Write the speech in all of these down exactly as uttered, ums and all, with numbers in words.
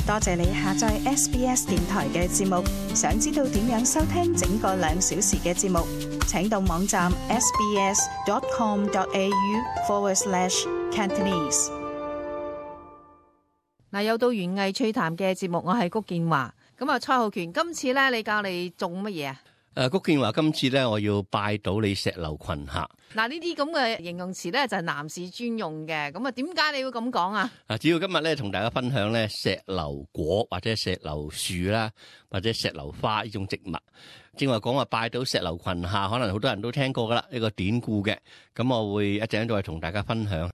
多謝你下載 S B S 電台嘅節目。想知道點樣收聽整個兩小時嘅節目，請到網站 sbs.com.au forward slash Cantonese。嗱，又到園藝趣談嘅節目，我係谷建華。咁啊，蔡浩權，今次咧你教你種乜嘢啊？誒，谷建華今次咧，我要拜倒你石榴裙下。嗱，呢啲咁嘅形容詞咧就係男士專用嘅，咁啊點解你會咁講啊？啊，主要今日咧同大家分享咧石榴果或者石榴樹啦，或者石榴花呢種植物。正話講話拜倒石榴裙下，可能好多人都聽過噶啦，呢個典故嘅。咁我會一陣再同大家分享。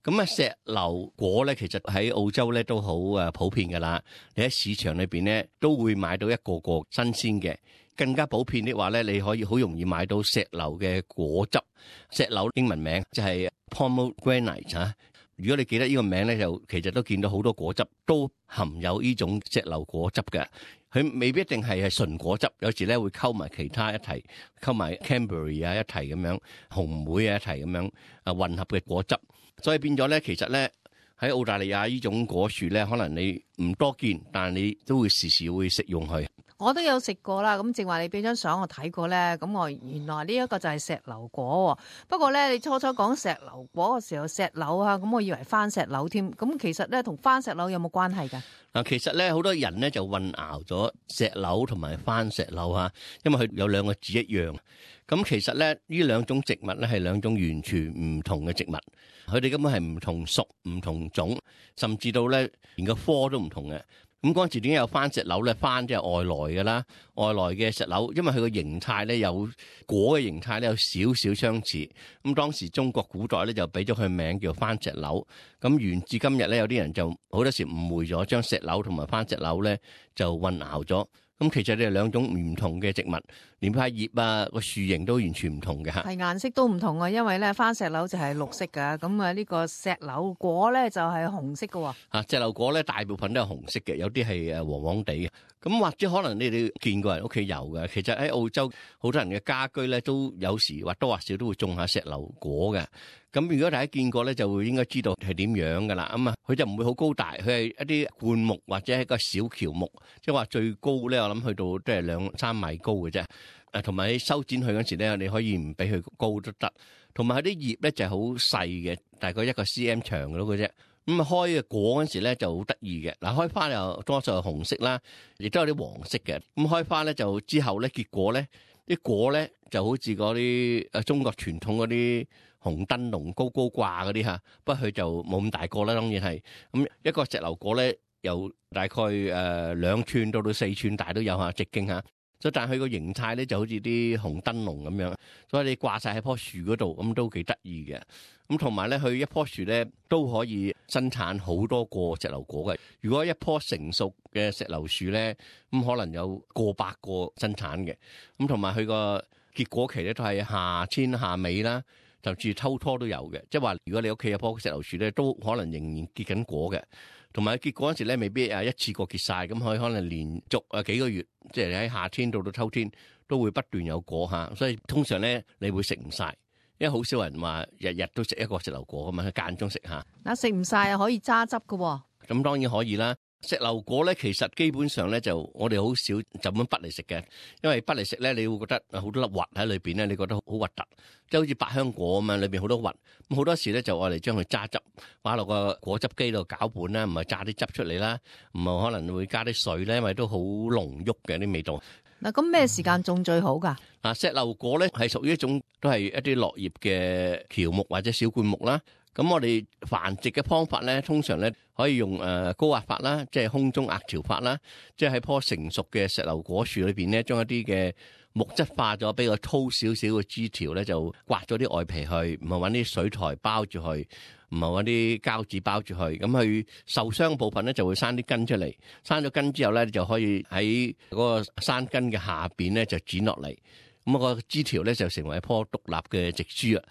咁啊，石榴果咧，其實喺澳洲咧都好誒普遍噶啦。你喺市場裏邊咧都會買到一個個新鮮嘅。更加普遍的話咧，你可以好容易買到石榴嘅果汁。石榴英文名就係 pomegranate 嚇。如果你記得呢個名咧，就其實都見到好多果汁都含有呢種石榴果汁嘅。佢未必一定係係純果汁，有時咧會溝埋其他一齊，溝埋 Cranberry 啊一齊咁樣，紅莓啊一齊咁樣啊混合嘅果汁。所以變咗咧，其實咧喺澳大利亞呢種果樹咧，可能你唔多見，但係你都會時時會食用佢。我都有食過啦，咁正話你俾張相我睇過咧，咁我原來呢一個就係石榴果。不過咧，你初初講石榴果嘅時候，石榴啊，咁我以為番石榴添。咁其實咧，同番石榴有冇關係㗎？嗱，其實咧，好多人咧就混淆咗石榴同埋番石榴嚇，因為佢有兩個字一樣。咁其實咧，呢兩種植物咧係兩種完全唔同嘅植物，佢哋根本係唔同屬、唔同種，甚至到咧連個科都唔同嘅。咁嗰陣時點解有番石榴咧？番即係外來嘅啦，外來嘅石榴，因為佢個形態咧有果嘅形態咧有少少相似。咁當時中國古代咧就俾咗佢名叫番石榴。咁沿至今日咧，有啲人就好多時誤會咗，將石榴同埋番石榴咧就混淆咗。咁其實你係兩種唔同嘅植物，連塊葉啊個樹形都完全唔同嘅嚇。係顏色都唔同啊，因為咧番石榴就係綠色㗎，咁啊呢個石榴果咧就係紅色嘅喎。啊，石榴果咧大部分都係紅色嘅，有啲係誒黃黃地嘅。咁或者可能你哋見過人屋企有嘅，其實喺澳洲好多人嘅家居咧都有時或多或少都會種下石榴果嘅。咁如果大家見過咧，就會應該知道係點樣噶啦。咁啊，佢就唔會好高大，佢係一啲灌木或者係一個小喬木，即係話最高咧，我諗去到都係兩三米高嘅啫。誒，同埋你修剪佢嗰時咧，你可以唔俾佢高都得。同埋佢啲葉咧就係好細嘅，大概一個 cm 長嘅咯嘅啫。咁啊開嘅果嗰時咧就好得意嘅。嗱，開花又多數係紅色啦，亦都有啲黃色嘅。咁開花咧就之後咧結果咧啲果咧就好似嗰啲誒中國傳統嗰啲紅燈籠高高掛嗰啲嚇，不過佢就冇咁大個啦，當然係。咁一個石榴果咧，由大概誒兩寸到到四寸大都有嚇，直徑嚇。所以但係佢個形態咧就好似啲紅燈籠咁樣，所以你掛晒喺棵樹嗰度，咁都幾得意嘅。咁同埋咧，佢一棵樹咧都可以生產好多個石榴果嘅。如果一棵成熟嘅石榴樹咧，咁可能有過百個生產嘅。咁同埋佢個結果期咧都係夏天夏尾啦，就至秋拖都有嘅。即係話，如果你屋企有棵石榴樹咧，都可能仍然結緊果嘅。同埋結果嗰時咧，未必啊一次過結晒，咁佢可能連續啊幾個月，即係喺夏天到到秋天都會不斷有果嚇。所以通常咧，你會食唔晒，因為好少人話日日都食一個石榴果㗎嘛，佢間中食下。嗱，食唔晒啊，可以揸汁㗎喎。咁當然可以啦。石榴果咧，其實基本上咧就我哋好少就咁剝嚟食嘅，因為剝嚟食咧，你會覺得好多粒核喺裏邊咧，你覺得好核突，即係好似百香果咁啊，裏邊好多核。咁好多時咧就我哋將佢揸汁，擺落個果汁機度攪拌啦，唔係榨啲汁出嚟啦，唔係可能會加啲水咧，因為都好濃郁嘅啲味道。嗱，咁咩時間種最好㗎？嗱，石榴果咧係屬於一種都係一啲落葉嘅喬木或者小灌木啦。咁我哋繁殖嘅方法咧，通常咧可以用誒高壓法啦，即係空中壓條法啦，即係喺棵成熟嘅石榴果樹裏邊咧，將一啲嘅木質化咗，比較粗少少嘅枝條咧，就刮咗啲外皮去，唔係揾啲水苔包住佢，唔係揾啲膠紙包住佢，咁佢受傷部分咧就會生啲根出嚟，生咗根之後咧就可以喺嗰個生根嘅下邊咧就剪落嚟，咁個枝條咧就成為一棵獨立嘅植株啊。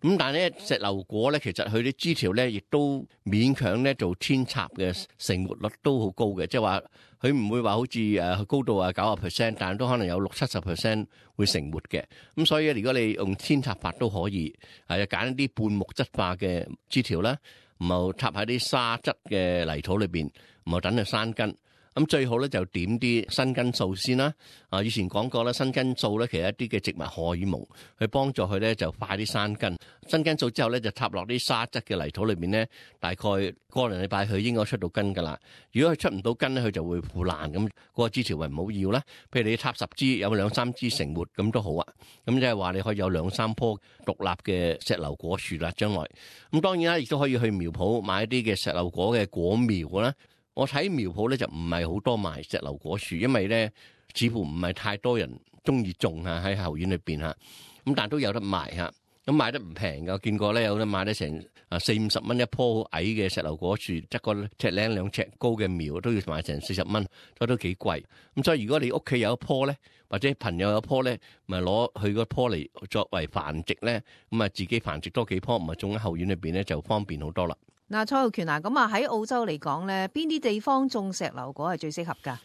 咁但係咧，石榴果咧，其實佢啲枝條咧，亦都勉強咧做扦插嘅成活率都好高嘅，即係話佢唔會話好似誒高到啊九十 percent，但係都可能有六七十 percent 會成活嘅。咁所以如果你用扦插法都可以，係揀一啲半木質化嘅枝條啦，唔好插喺啲沙質嘅泥土裏邊，唔好等佢生根。咁最好咧就點啲生根素先啦。啊，以前講過啦，生根素咧其實一啲嘅植物荷爾蒙，去幫助佢咧就快啲生根。生根素之後咧就插落啲沙質嘅泥土裏面咧，大概個零禮拜佢應該出到根噶啦。如果佢出唔到根咧，佢就會腐爛咁，嗰個枝條咪唔好要啦。譬如你插十支，有兩三支成活咁都好啊。咁即係話你可以有兩三棵獨立嘅石榴果樹啦，將來。咁當然啦，亦都可以去苗圃買一啲嘅石榴果嘅果苗啦。我睇苗圃咧就唔係好多賣石榴果樹，因為咧似乎唔係太多人中意種啊喺後院裏邊嚇，咁但係都有得賣嚇，咁賣得唔平㗎，我見過咧有得賣得成啊四五十蚊一棵好矮嘅石榴果樹，一個尺零兩尺高嘅苗都要賣成四十蚊，所以都幾貴。咁所以如果你屋企有一棵咧，或者朋友有一棵咧，咪攞佢嗰棵嚟作為繁殖咧，咁啊自己繁殖多幾棵，唔係種喺後院裏邊咧就方便好多啦。嗱，蔡浩權啊，咁啊喺澳洲嚟講咧，邊啲地方種石榴果係最適合㗎？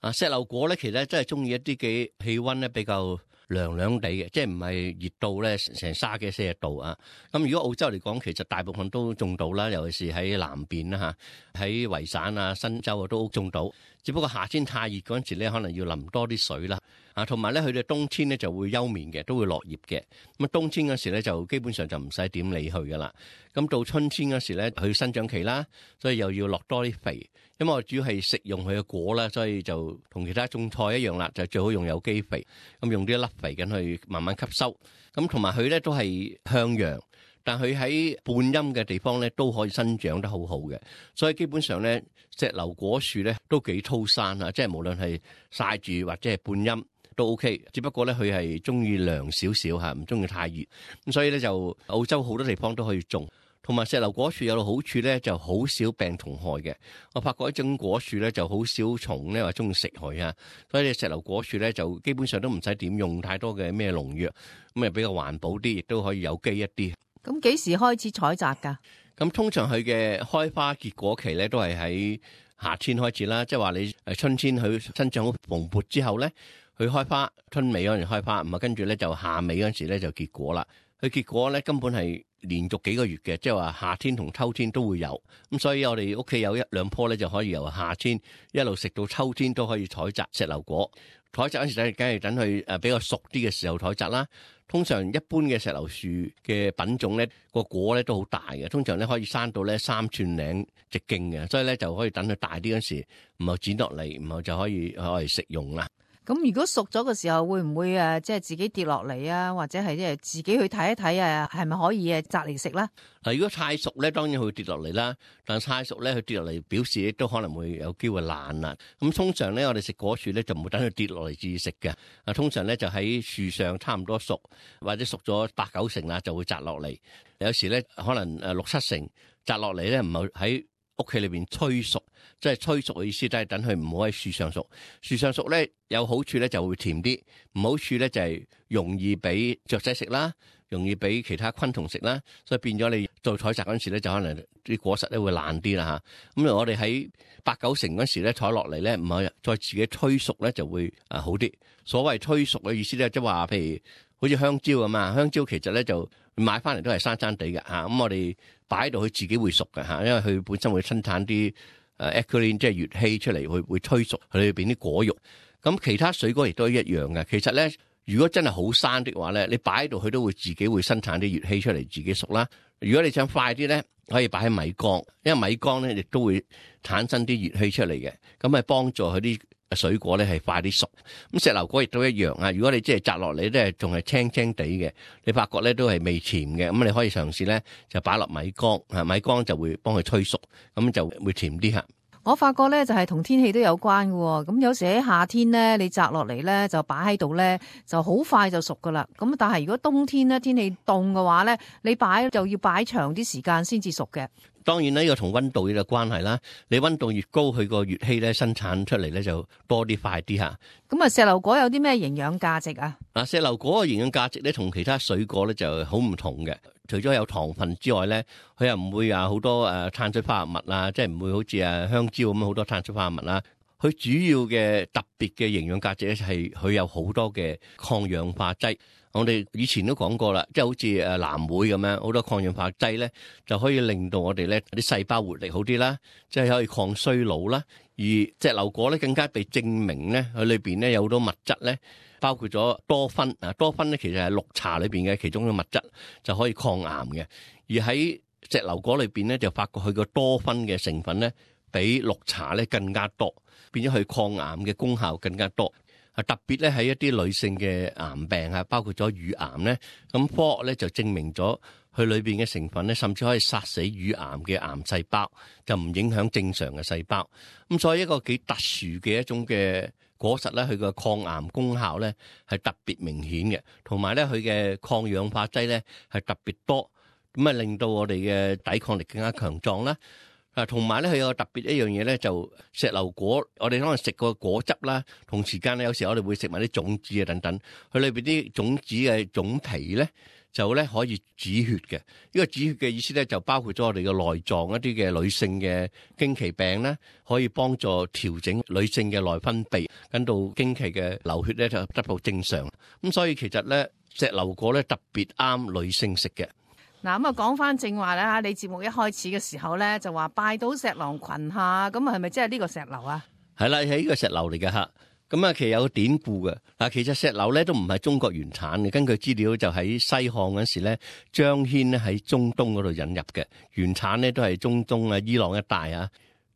啊，石榴果咧，其實真係中意一啲嘅氣温咧比較涼涼地嘅，即係唔係熱到咧成三幾四十度啊。咁如果澳洲嚟講，其實大部分都種到啦，尤其是喺南邊啦嚇，喺維省啊、新州啊都種到。只不過夏天太熱嗰陣時咧，可能要淋多啲水啦。啊，同埋咧，佢哋冬天咧就會休眠嘅，都會落葉嘅。咁啊，冬天嗰時咧就基本上就唔使點理佢噶啦。咁到春天嗰時咧，佢生長期啦，所以又要落多啲肥。因為我主要係食用佢嘅果啦，所以就同其他種菜一樣啦，就最好用有機肥。咁用啲粒肥緊去慢慢吸收。咁同埋佢咧都係向陽，但佢喺半陰嘅地方咧都可以生長得好好嘅。所以基本上咧，石榴果樹咧都幾粗生啊，即係無論係曬住或者係半陰都 OK。只不過咧佢係中意涼少少嚇，唔中意太熱。咁所以咧就澳洲好多地方都可以種。同埋石榴果樹有個好處咧，就好少病蟲害嘅。我發覺一種果樹咧就好少蟲咧話中意食佢啊，所以石榴果樹咧就基本上都唔使點用太多嘅咩農藥，咁啊比較環保啲，亦都可以有機一啲。咁幾時開始採摘㗎？咁通常佢嘅開花結果期咧都係喺夏天開始啦，即係話你誒春天佢生長好蓬勃之後咧，佢開花，春尾嗰陣開花，唔係跟住咧就夏尾嗰陣時咧就結果啦。佢結果咧根本係連續幾個月嘅，即係話夏天同秋天都會有。咁所以我哋屋企有一兩棵咧，就可以由夏天一路食到秋天都可以採摘石榴果。採摘嗰時咧，梗係等佢誒比較熟啲嘅時候採摘啦。通常一般嘅石榴樹嘅品種咧，個果咧都好大嘅，通常咧可以生到咧三寸零直徑嘅，所以咧就可以等佢大啲嗰時，唔好剪落嚟，唔好就可以可以食用啦。咁如果熟咗嘅時候，會唔會誒即係自己跌落嚟啊？或者係即係自己去睇一睇啊？係咪可以誒摘嚟食咧？嗱，如果太熟咧，當然佢會跌落嚟啦。但係太熟咧，佢跌落嚟表示亦都可能會有機會爛啦。咁通常咧，我哋食果樹咧就唔會等佢跌落嚟至食嘅。啊，通常咧就喺樹上差唔多熟，或者熟咗八九成啦，就會摘落嚟。有時咧可能誒六七成摘落嚟咧，唔係喺屋企裏邊催熟，即係催熟嘅意思，都係等佢唔好喺樹上熟。樹上熟咧有好處咧就會甜啲，唔好處咧就係容易俾雀仔食啦，容易俾其他昆蟲食啦，所以變咗你做採摘嗰陣時咧，就可能啲果實咧會爛啲啦嚇。咁我哋喺八九成嗰時咧採落嚟咧，唔係再自己催熟咧就會啊好啲。所謂催熟嘅意思咧，即係話譬如好似香蕉咁啊，香蕉其實咧就買翻嚟都係生生地嘅嚇。咁我哋擺喺度，佢自己會熟嘅嚇，因為佢本身會生產啲誒 ethylene 即係乙烯出嚟，會會催熟佢裏邊啲果肉。咁其他水果亦都一樣嘅。其實咧，如果真係好生的話咧，你擺喺度，佢都會自己會生產啲乙烯出嚟，自己熟啦。如果你想快啲咧，可以擺喺米缸，因為米缸咧亦都會產生啲乙烯出嚟嘅，咁係幫助佢啲水果咧係快啲熟。咁石榴果亦都一樣啊。如果你即係摘落嚟咧，仲係青青地嘅，你發覺咧都係未甜嘅，咁你可以嘗試咧就擺落米缸，啊米缸就會幫佢催熟，咁就會甜啲嚇。我發覺咧就係同天氣都有關嘅，咁有時喺夏天咧，你摘落嚟咧就擺喺度咧就好快就熟噶啦。咁但係如果冬天咧天氣凍嘅話咧，你擺就要擺長啲時間先至熟嘅。當然呢個同溫度有關係啦。你溫度越高，佢個乙烯咧生產出嚟咧就多啲快啲嚇。咁啊，石榴果有啲咩營養價值啊？嗱，石榴果嘅營養價值咧同其他水果咧就好唔同嘅。除咗有糖分之外咧，佢又唔會啊好多誒碳水化合物啊，即係唔會好似啊香蕉咁好多碳水化合物啦。佢主要嘅特別嘅營養價值咧係佢有好多嘅抗氧化劑。我哋以前都講過啦，即係好似誒藍莓咁樣，好多抗氧化劑咧，就可以令到我哋咧啲細胞活力好啲啦，即係可以抗衰老啦。而石榴果咧更加被證明咧，佢裏邊咧有好多物質咧，包括咗多酚啊，多酚咧其實係綠茶裏邊嘅其中嘅物質，就可以抗癌嘅。而喺石榴果裏邊咧，就發覺佢個多酚嘅成分咧，比綠茶咧更加多，變咗佢抗癌嘅功效更加多。啊，特別咧喺一啲女性嘅癌病啊，包括咗乳癌咧，咁科學咧就證明咗佢裏邊嘅成分咧，甚至可以殺死乳癌嘅癌細胞，就唔影響正常嘅細胞。咁所以一個幾特殊嘅一種嘅果實咧，佢個抗癌功效咧係特別明顯嘅，同埋咧佢嘅抗氧化劑咧係特別多，咁啊令到我哋嘅抵抗力更加強壯啦。啊，同埋咧，佢有個特別一樣嘢咧，就石榴果，我哋可能食個果汁啦，同時間咧，有時我哋會食埋啲種子啊等等，佢裏邊啲種子嘅種皮咧，就咧可以止血嘅。呢個止血嘅意思咧，就包括咗我哋嘅內臟一啲嘅女性嘅經期病咧，可以幫助調整女性嘅內分泌，跟到經期嘅流血咧就得到正常。咁所以其實咧，石榴果咧特別啱女性食嘅。嗱咁啊，講翻正話咧，你節目一開始嘅時候咧，就話拜倒石榴裙下，咁啊係咪即係呢個石榴啊？係啦，係呢個石榴嚟嘅吓。咁啊，其實有個典故嘅。嗱，其實石榴咧都唔係中國原產嘅，根據資料就喺西漢嗰時咧，張騫咧喺中東嗰度引入嘅，原產咧都係中東啊、伊朗一帶啊。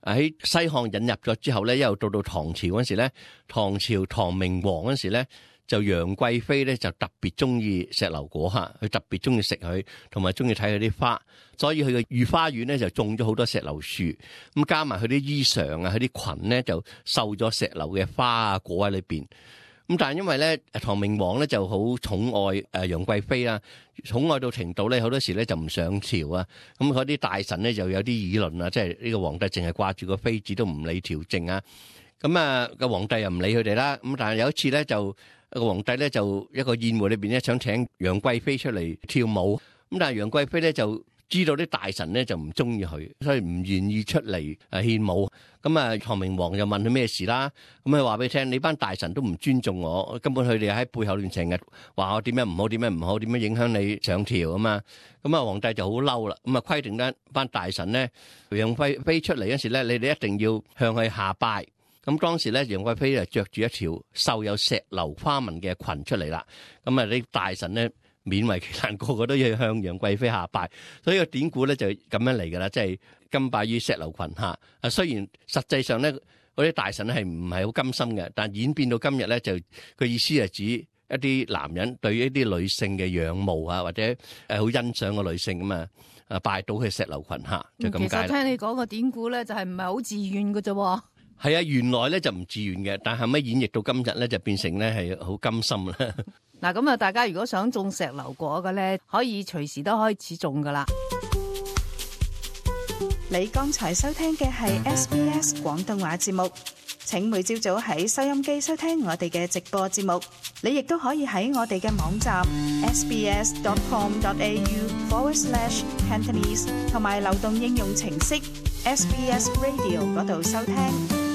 喺西漢引入咗之後咧，一路到到唐朝嗰時咧，唐朝唐明皇嗰時咧。就楊貴妃咧就特別中意石榴果嚇，佢特別中意食佢，同埋中意睇佢啲花，所以佢嘅御花園咧就種咗好多石榴樹，咁加埋佢啲衣裳啊，佢啲裙咧就繡咗石榴嘅花啊果喺裏邊。咁但係因為咧唐明皇咧就好寵愛誒楊貴妃啊，寵愛到程度咧好多時咧就唔上朝啊，咁嗰啲大臣咧就有啲議論啊，即係呢個皇帝淨係掛住個妃子都唔理朝政啊，咁啊個皇帝又唔理佢哋啦，咁但係有一次咧就。個皇帝咧就一個宴會裏邊咧想請楊貴妃出嚟跳舞，咁但係楊貴妃咧就知道啲大臣咧就唔中意佢，所以唔願意出嚟誒獻舞。咁啊唐明皇就問佢咩事啦，咁佢話俾你聽，你班大臣都唔尊重我，根本佢哋喺背後亂成日話我點樣唔好，點樣唔好，點樣影響你上朝啊嘛。咁啊皇帝就好嬲啦，咁啊規定咧班大臣咧楊貴妃出嚟嗰時咧，你哋一定要向佢下拜。咁當時咧，楊貴妃就着住一條繡有石榴花紋嘅裙出嚟啦。咁啊，啲大臣咧勉為其難，個個都要向楊貴妃下拜。所以個典故咧就咁樣嚟噶啦，即係甘拜於石榴裙下。啊，雖然實際上咧，嗰啲大臣係唔係好甘心嘅，但演變到今日咧，就個意思係指一啲男人對一啲女性嘅仰慕啊，或者誒好欣賞個女性咁啊，啊拜倒去石榴裙下就咁解啦。其實聽你講個典故咧，就係唔係好自願嘅啫。係啊，原來咧就唔自願嘅，但係後尾演繹到今日咧就變成咧係好甘心啦。嗱，咁啊，大家如果想種石榴果嘅咧，可以隨時都開始種噶啦。你剛才收聽嘅係 S B S 廣東話節目，請每朝早喺收音機收聽我哋嘅直播節目。你亦都可以喺我哋嘅網站 sbs dot com dot a u forward slash cantonese 同埋流動應用程式 S B S Radio 嗰度收聽。